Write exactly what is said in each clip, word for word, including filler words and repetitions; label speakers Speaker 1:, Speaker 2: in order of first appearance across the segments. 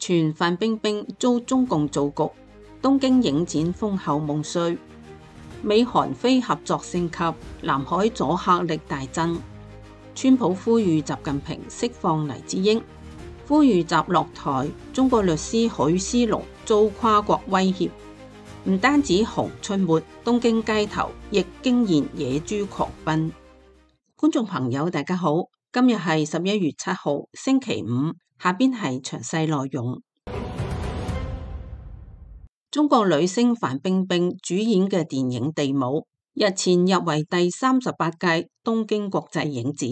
Speaker 1: 傳范冰冰遭中共造局，東京影展封後夢碎，美韓非合作升級，南海阻嚇力大增。川普呼籲習近平釋放黎智英，呼籲習落台。中國律師許思龍遭跨國威脅。唔單止熊出沒，東京街頭亦驚現野豬狂奔。觀眾朋友大家好，今日係十一月七號星期五，下邊係詳細內容。中國女星范冰冰主演嘅電影《地母》日前入圍第三十八屆東京國際影展。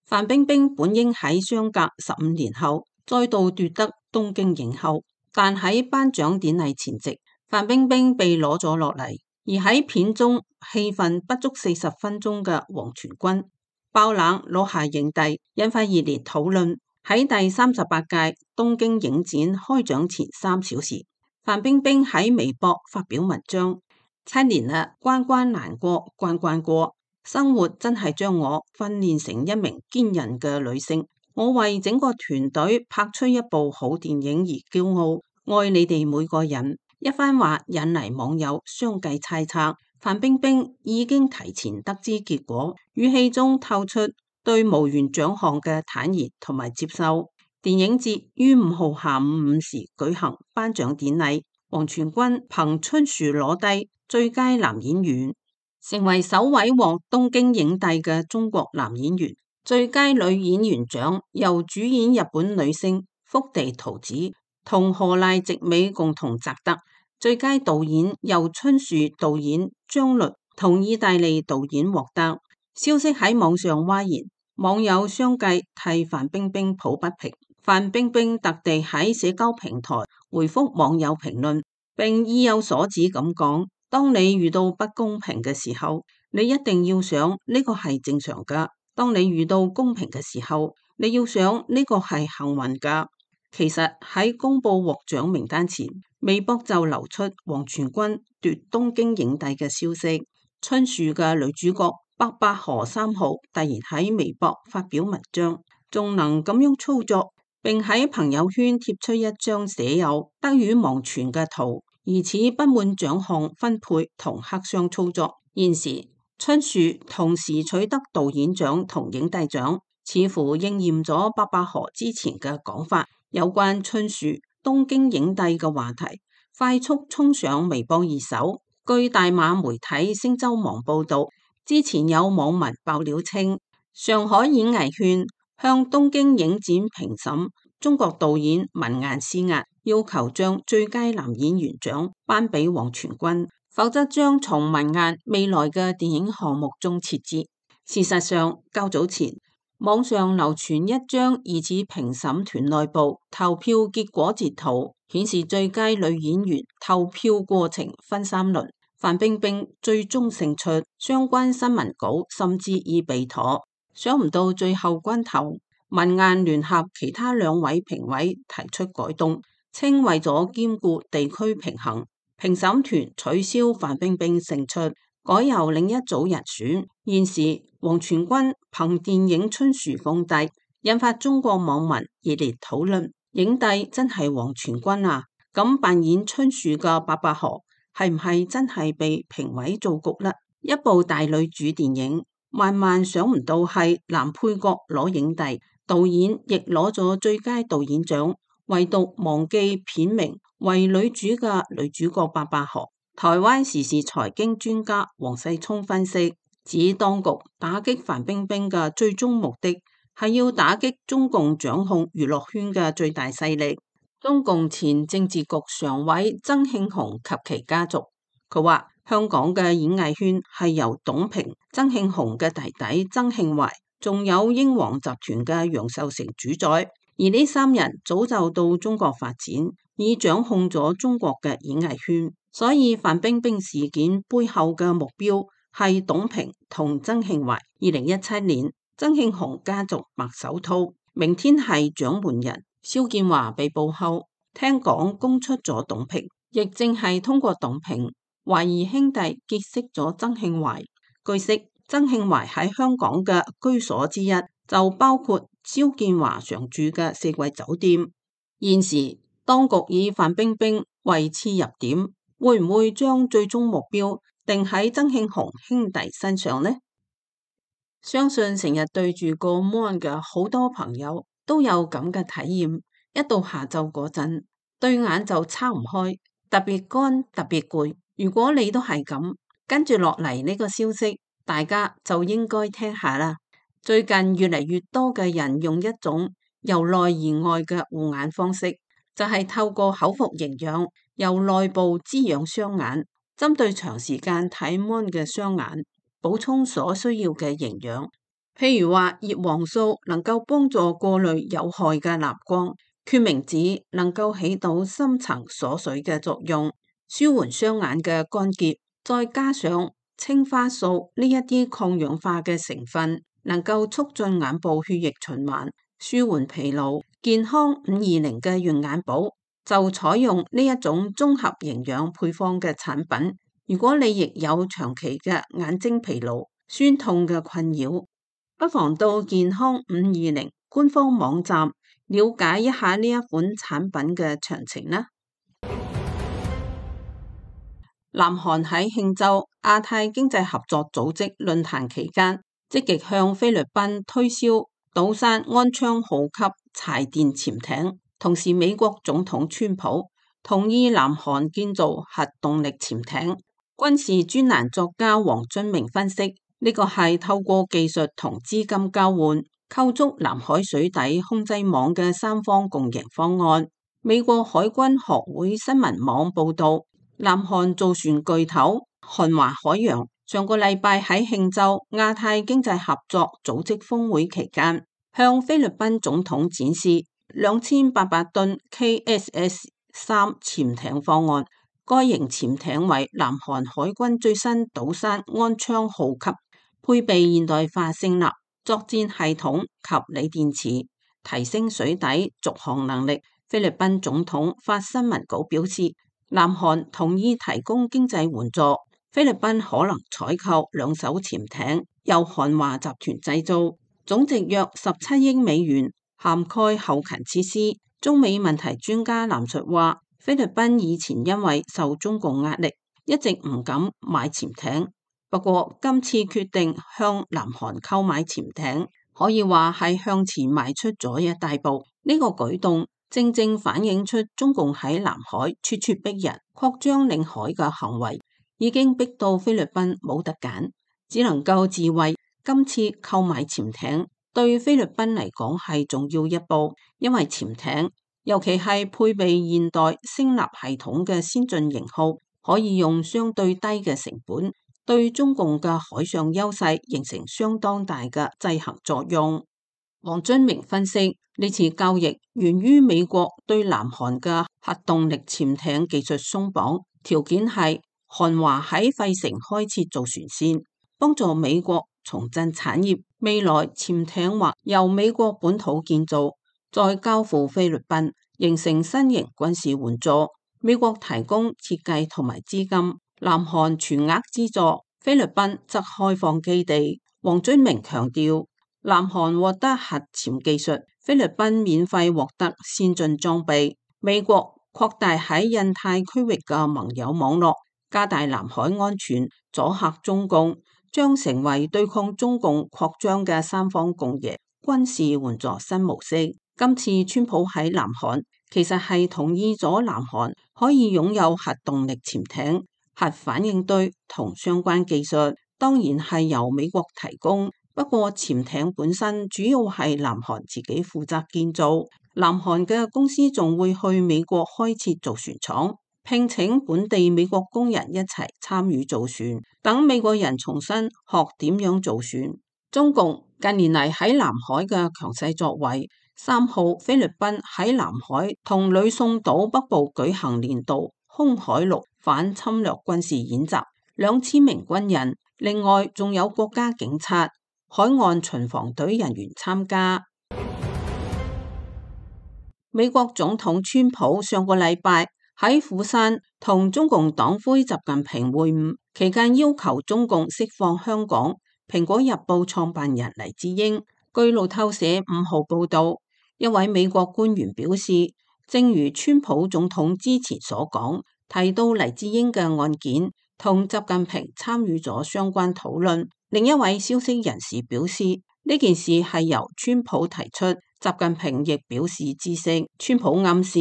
Speaker 1: 范冰冰本應喺相隔十五年後再度奪得東京影后，但喺頒獎典禮前夕，范冰冰被攞咗落嚟，而喺片中戲份不足四十分鐘嘅王傳君爆冷攞下影帝，引發熱烈討論。喺第三十八屆東京影展開獎前三小時，范冰冰喺微博發表文章：七年啦，關關難過關關過，生活真係將我訓練成一名堅韌嘅女性。我為整個團隊拍出一部好電影而驕傲，愛你哋每個人。一番話引嚟網友相繼猜測，范冰冰已經提前得知結果，語氣中透出對無緣獎項嘅坦然同埋接受。電影節於五號下午五時舉行頒獎典禮，王傳君憑春樹攞低最佳男演員，成為首位獲東京影帝嘅中國男演員。最佳女演員獎由主演日本女星福地桃子同河瀨直美共同摘得。最佳導演由春樹導演張律同意大利導演獲得。消息喺網上譁然，網友相繼替范冰冰抱不平。范冰冰特地喺社交平台回覆網友評論，並意有所指咁講：當你遇到不公平嘅時候，你一定要想呢個係正常㗎；當你遇到公平嘅時候，你要想呢個係幸運㗎。其實喺公布獲獎名單前，微博就流出王傳君奪東京影帝嘅消息。春樹嘅女主角白百何三號突然喺微博發表文章，仲能咁樣操作，並喺朋友圈貼出一張寫有得語忘傳嘅圖，疑似不滿獎項分配同黑箱操作。現時春樹同時取得導演獎同影帝獎，似乎應驗咗白百何之前嘅講法。有關春樹東京影帝嘅話題快速衝上微博熱搜。據大馬媒體星洲網報道，之前有網民爆料稱，上海演藝圈向東京影展評審中國導演文雁施壓，要求將最佳男演員獎頒俾王傳君，否則將從文雁未來嘅電影項目中撤資。事實上，較早前網上流傳一張疑似評審團內部投票結果截圖，顯示最佳女演員投票過程分三輪，范冰冰最終勝出，相關新聞稿甚至已備妥。想唔到最後關頭，文雁聯合其他兩位評委提出改動，稱為咗兼顧地區平衡，評審團取消范冰冰勝出，改由另一組人選。現時王傳君憑電影春樹封帝，引發中國網民熱烈討論。影帝真係王傳君啊？咁扮演春樹嘅白百何係唔係真係被評委造局呢？一部大女主電影，萬萬想唔到係男配角攞影帝，導演亦攞咗最佳導演獎，唯獨忘記片名為女主嘅女主角白百何。台灣時事財經專家黃世聰分析指，當局打擊范冰冰嘅最終目的係要打擊中共掌控娛樂圈嘅最大勢力中共前政治局常委曾慶紅及其家族。佢話香港嘅演藝圈係由董平、曾慶紅嘅弟弟曾慶懷，仲有英皇集團嘅楊受成主宰，而呢三人早就到中國發展，已掌控咗中國嘅演藝圈。所以范冰冰事件背後嘅目標係董平同曾慶懷。二零一七年，曾慶紅家族白手套，明天係掌門人蕭建華被捕後，聽講供出咗董平，亦正係通過董平懷疑兄弟結識咗曾慶懷。據悉，曾慶懷喺香港嘅居所之一就包括蕭建華常住嘅四季酒店。現時當局以范冰冰為切入點，會唔會將最終目標定喺曾慶紅兄弟身上呢？相信成日對住個 mon 嘅好多朋友都有咁嘅體驗，一到下晝嗰陣，對眼就撐唔開，特別乾，特別攰。如果你都係咁，跟住落嚟呢個消息，大家就應該聽下啦。最近越嚟越多嘅人用一種由內而外嘅護眼方式，就係透過口服營養，由內部滋養雙眼，針對長時間睇 mon 嘅雙眼，補充所需要嘅營養。譬如話葉黃素能夠幫助過濾有害嘅藍光，決明子能夠起到深層鎖水嘅作用，舒緩雙眼嘅乾澀，再加上青花素呢一啲抗氧化嘅成分，能夠促進眼部血液循環，舒緩疲勞。健康五二零嘅潤眼寶就採用呢一種綜合營養配方嘅產品。如果你亦有長期嘅眼睛疲勞、酸痛嘅困擾，不妨到健康五二零官方網站了解一下呢一款產品嘅詳情啦。南韓喺慶州亞太經濟合作組織論壇期間，積極向菲律賓推銷島山安昌號級柴電潛艇，同時美國總統川普同意南韓建造核動力潛艇。軍事專欄作家黃津明分析，呢個係透過技術同資金交換，構築南海水底控制網嘅三方共贏方案。美國海軍學會新聞網報道，南韓造船巨頭韓華海洋上個禮拜喺慶州亞太經濟合作組織峰會期間，向菲律賓總統展示兩千八百噸 K S S 三潛艇方案。該型潛艇為南韓海軍最新島山安昌號級，配備現代化聲納、作戰系統及鋰電池，提升水底續航能力。菲律賓總統發新聞稿表示，南韓同意提供經濟援助，菲律賓可能採購兩艘潛艇，由韓華集團製造，總值約十七億美元，涵蓋後勤設施。中美問題專家藍述話，菲律賓以前因為受中共壓力，一直唔敢買潛艇。不過今次決定向南韓購買潛艇，可以話係向前邁出咗一大步。呢個舉動正正反映出中共喺南海咄咄逼人、擴張領海嘅行為，已經逼到菲律賓冇得揀，只能夠自衛。今次購買潛艇對菲律賓嚟講係重要一步，因為潛艇尤其係配備現代聲納系統嘅先進型號，可以用相對低嘅成本，對中共嘅海上優勢形成相當大嘅制衡作用。黃津明分析，呢次交易源於美國對南韓嘅核動力潛艇技術鬆綁，條件係韓華喺費城開設造船線，幫助美國重振產業。未來潛艇或由美國本土建造，再交付菲律賓，形成新型軍事援助。美國提供設計同埋資金，南韓全額資助，菲律賓則開放基地。黃津明強調，南韓獲得核潛技術，菲律賓免費獲得先進裝備。美國擴大喺印太區域嘅盟友網絡，加大南海安全，阻嚇中共，將成為對抗中共擴張嘅三方共贏軍事援助新模式。今次川普喺南韓其實係同意咗南韓可以擁有核動力潛艇、核反應堆同相關技術，當然係由美國提供。不過潛艇本身主要係南韓自己負責建造，南韓嘅公司仲會去美國開設造船廠，聘請本地美國工人一齊參與造船，等美國人重新學點樣造船。中共近年嚟喺南海嘅強勢作為，三號菲律賓喺南海同呂宋島北部舉行年度空海陸反侵略軍事演習，兩千名軍人，另外仲有國家警察、海岸巡防隊人員參加。美國總統川普上個禮拜喺釜山同中共黨魁習近平會晤期間，要求中共釋放香港蘋果日報創辦人黎智英。據路透社五號報道，一位美國官員表示，正如川普總統之前所講，提到黎智英嘅案件，同習近平參與咗相關討論。另一位消息人士表示，呢件事係由川普提出，習近平亦表示知悉。川普暗示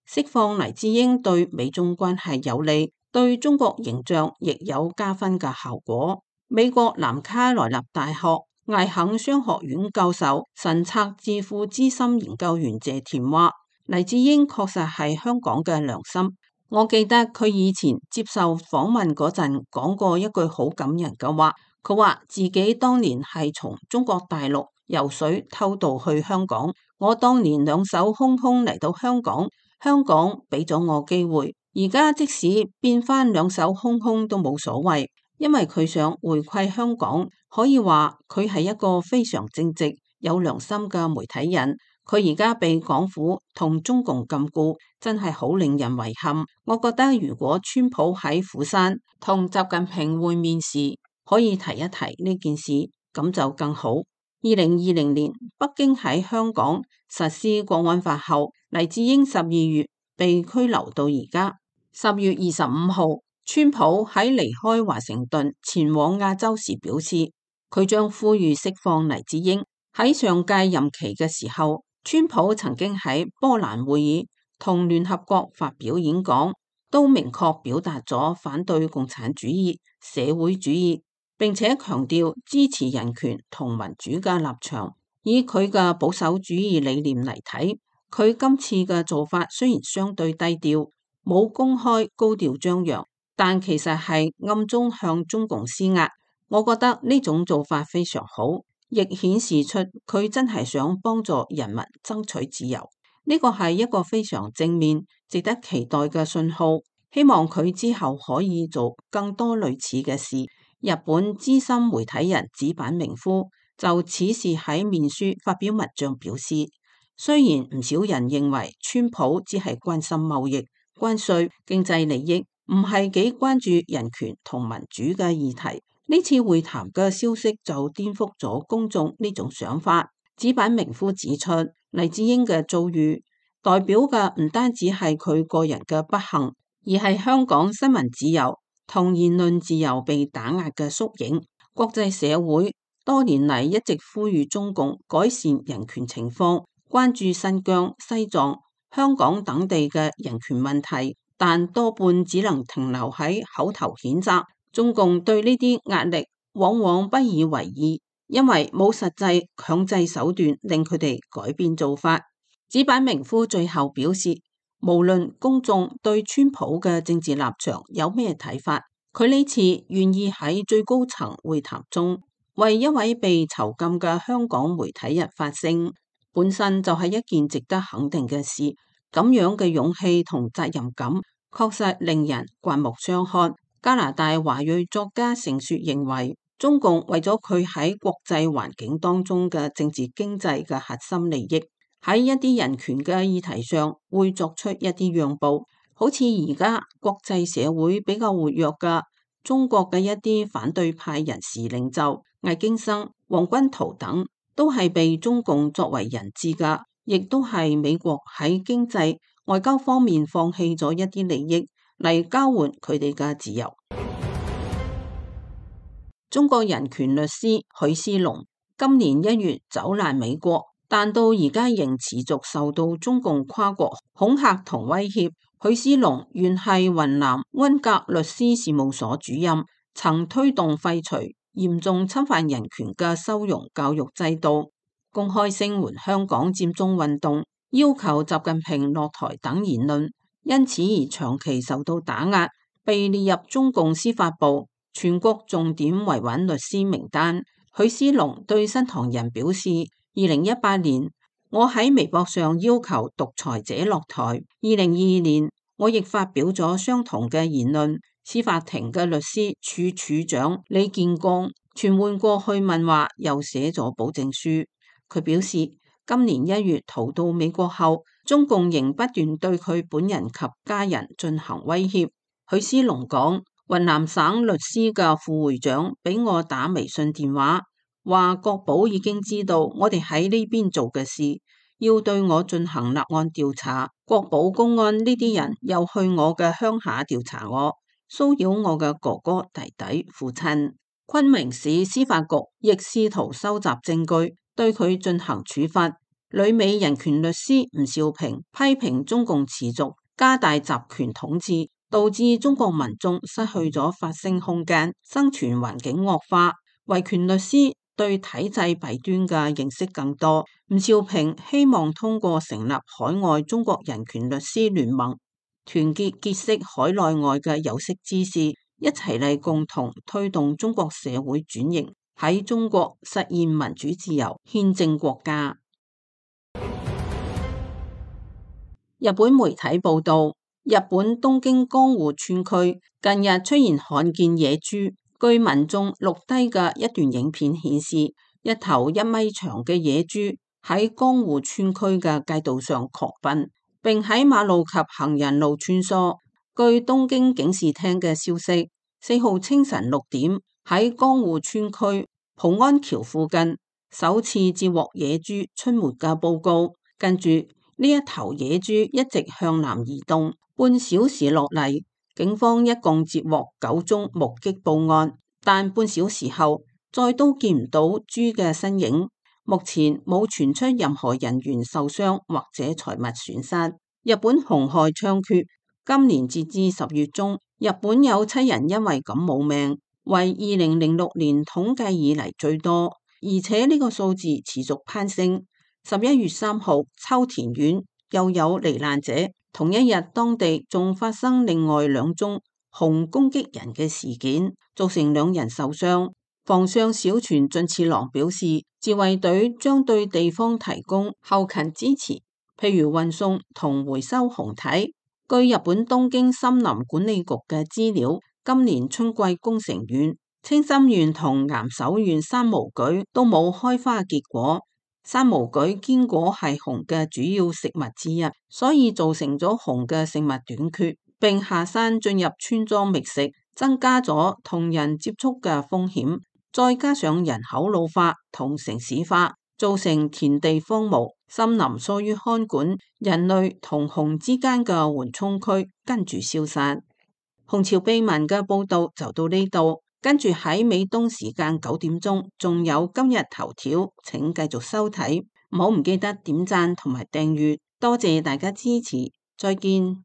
Speaker 1: 釋放黎智英對美中關係有利，對中國形象亦有加分嘅效果。美國南卡羅來納大學艾肯商學院教授神策智庫資深研究員謝田話，黎智英確實係香港嘅良心。我記得佢以前接受訪問嗰陣講過一句好感人嘅話，佢話自己當年係從中國大陸游水偷渡去香港，我當年兩手空空嚟到香港，香港俾咗我機會，而家即使變翻兩手空空都冇所謂，因為佢想回饋香港。可以話佢係一個非常正直、有良心嘅媒體人。佢而家被港府同中共禁錮，真係好令人遺憾。我覺得如果川普喺釜山同習近平會面時，可以提一提呢件事，咁就更好。二零二零年北京喺香港實施國安法後，黎智英十二月被拘留到而家。十月二十五號，川普喺離開華盛頓前往亞洲時表示，佢將呼籲釋放黎智英。喺上屆任期嘅時候，川普曾經喺波蘭會議同聯合國發表演講，都明確表達咗反對共產主義、社會主義，並且強調支持人權同民主嘅立場。以佢嘅保守主義理念嚟睇，佢今次嘅做法雖然相對低調，冇公開高調張揚，但其實係暗中向中共施壓。我覺得呢種做法非常好，亦顯示出佢真係想幫助人民爭取自由。呢個係一個非常正面、值得期待嘅信號。希望佢之後可以做更多類似嘅事。日本資深媒體人寺坂明夫就此事喺面書發表文章表示，雖然唔少人認為川普只係關心貿易、關稅、經濟利益，唔係幾關注人權同民主嘅議題。呢次會談嘅消息就顛覆咗公眾呢種想法。寺坂明夫指出，黎智英嘅遭遇代表嘅唔單止係佢個人嘅不幸，而係香港新聞自由同言論自由被打壓嘅縮影。國際社會多年嚟一直呼籲中共改善人權情況，關注新疆、西藏、香港等地嘅人權問題，但多半只能停留喺口頭譴責。中共對呢啲壓力往往不以為意，因為冇實際強制手段令佢哋改變做法。寺坂明夫最後表示，無論公眾對川普嘅政治立場有咩睇法，佢呢次願意喺最高層會談中為一位被囚禁嘅香港媒體人發聲，本身就係一件值得肯定嘅事。咁樣嘅勇氣同責任感確實令人刮目相看。加拿大華裔作家成雪認為，中共為咗佢喺國際環境當中嘅政治經濟嘅核心利益，喺一啲人權嘅議題上會作出一啲讓步。好似而家國際社會比較活躍嘅中國嘅一啲反對派人士領袖魏京生、黃軍濤等，都係被中共作為人質㗎，亦都係美國喺經濟外交方面放棄咗一啲利益嚟交換佢哋嘅自由。中國人權律師許思龍今年一月走難美國，但到而家仍持續受到中共跨國恐嚇同威脅。許思龍原係雲南溫格律師事務所主任，曾推動廢除嚴重侵犯人權嘅收容教育制度，公開聲援香港佔中運動，要求習近平落台等言論，因此而長期受到打壓，被列入中共司法部全國重點維穩律師名單。許思龍對新唐人表示，二零一八年我喺微博上要求獨裁者落台，二零二二年我亦發表咗相同嘅言論。司法庭嘅律師處處長李建剛傳喚過去問話，又寫咗保證書。佢表示，今年一月逃到美國後，中共仍不斷對佢本人及家人進行威脅。許思龍講，雲南省律師嘅副會長俾我打微信電話，話國保已經知道我哋喺呢邊做嘅事，要對我進行立案調查。國保公安呢啲人又去我嘅鄉下調查我，騷擾我嘅哥哥、弟弟、父親。昆明市司法局亦試圖收集證據，對佢進行處罰。旅美人權律師吳兆平批評中共持續加大集權統治，導致中國民眾失去咗發聲空間，生存環境惡化。維權律師對體制弊端嘅認識更多。吳兆平希望通過成立海外中國人權律師聯盟，團結結識海內外嘅有識之士，一齊嚟共同推動中國社會轉型，喺中國實現民主自由憲政國家。日本媒體報道，日本東京江戶川區近日出現罕見野豬。據民眾錄低嘅一段影片顯示，一頭一米長嘅野豬喺江戶川區嘅街道上狂奔，並喺馬路及行人路穿梭。據東京警視廳嘅消息，四號清晨六點喺江戶川區浦安橋附近首次接獲野豬出沒嘅報告。跟住呢一頭野豬一直向南移動，半小時落嚟，警方一共接獲九宗目擊報案，但半小時後再都見唔到豬嘅身影。目前冇傳出任何人員受傷或者財物損失。日本熊害猖獗，今年截至十月中，日本有七人因為咁冇命，為二零零六年統計以嚟最多，而且呢個數字持續攀升。十一月三號，秋田縣又有罹難者，同一日當地仲發生另外兩宗熊攻擊人嘅事件，造成兩人受傷。防相小泉進次郎表示，自衛隊將對地方提供後勤支持，譬如運送同回收熊體。據日本東京森林管理局嘅資料，今年春季宮城縣、青森縣同岩手縣山毛櫸都冇開花結果。山毛櫸堅果係熊嘅主要食物之一，所以造成咗熊嘅食物短缺，並下山進入村莊覓食，增加咗同人接觸嘅風險。再加上人口老化同城市化，造成田地荒蕪，森林疏於看管，人類同熊之間嘅緩衝區跟住消失。熊朝秘聞嘅報道就到呢度。跟住喺美東時間九點鐘，仲有今日頭條，請繼續收睇，唔好唔記得點讚同埋訂閱，多謝大家支持，再見。